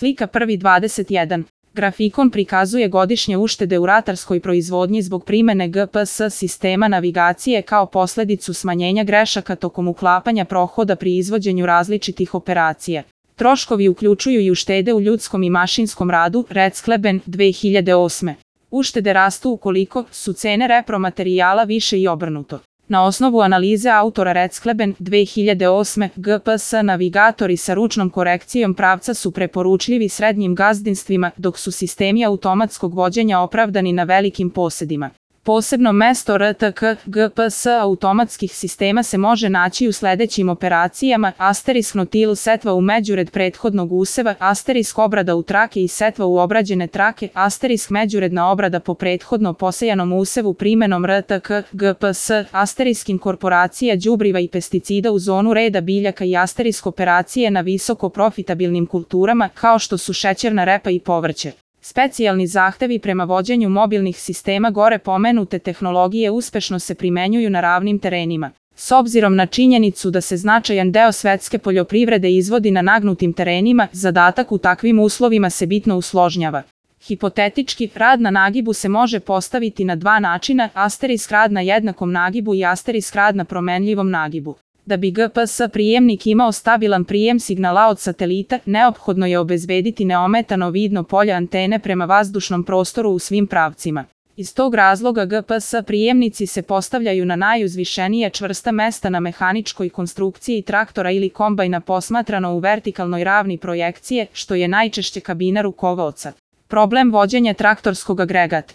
Slika 1.21. Grafikon prikazuje godišnje uštede u ratarskoj proizvodnji zbog primene GPS sistema navigacije kao posledicu smanjenja grešaka tokom uklapanja prohoda pri izvođenju različitih operacija. Troškovi uključuju i uštede u ljudskom i mašinskom radu, Recleben 2008. Uštede rastu ukoliko su cene repromaterijala više i obrnuto. Na osnovu analize autora Recleben 2008. GPS navigatori sa ručnom korekcijom pravca su preporučljivi srednjim gazdinstvima, dok su sistemi automatskog vođenja opravdani na velikim posedima. Posebno mesto RTK GPS automatskih sistema se može naći u sledećim operacijama: asterisk notil setva u međured prethodnog useva, asterisk obrada u trake i setva u obrađene trake, asterisk međuredna obrada po prethodno posejanom usevu primenom RTK GPS, asterisk inkorporacija đubriva i pesticida u zonu reda biljaka i asterisk operacije na visoko profitabilnim kulturama kao što su šećerna repa i povrće. Specijalni zahtevi prema vođenju mobilnih sistema gore pomenute tehnologije uspešno se primenjuju na ravnim terenima. S obzirom na činjenicu da se značajan deo svetske poljoprivrede izvodi na nagnutim terenima, zadatak u takvim uslovima se bitno usložnjava. Hipotetički, rad na nagibu se može postaviti na dva načina: asterisk rad na jednakom nagibu i asterisk rad na promenljivom nagibu. Da bi GPS prijemnik imao stabilan prijem signala od satelita, neophodno je obezbediti neometano vidno polje antene prema vazdušnom prostoru u svim pravcima. Iz tog razloga GPS prijemnici se postavljaju na najuzvišenije čvrsta mesta na mehaničkoj konstrukciji traktora ili kombajna posmatrano u vertikalnoj ravni projekcije, što je najčešće kabina rukovaoca. Problem vođenja traktorskog agregata.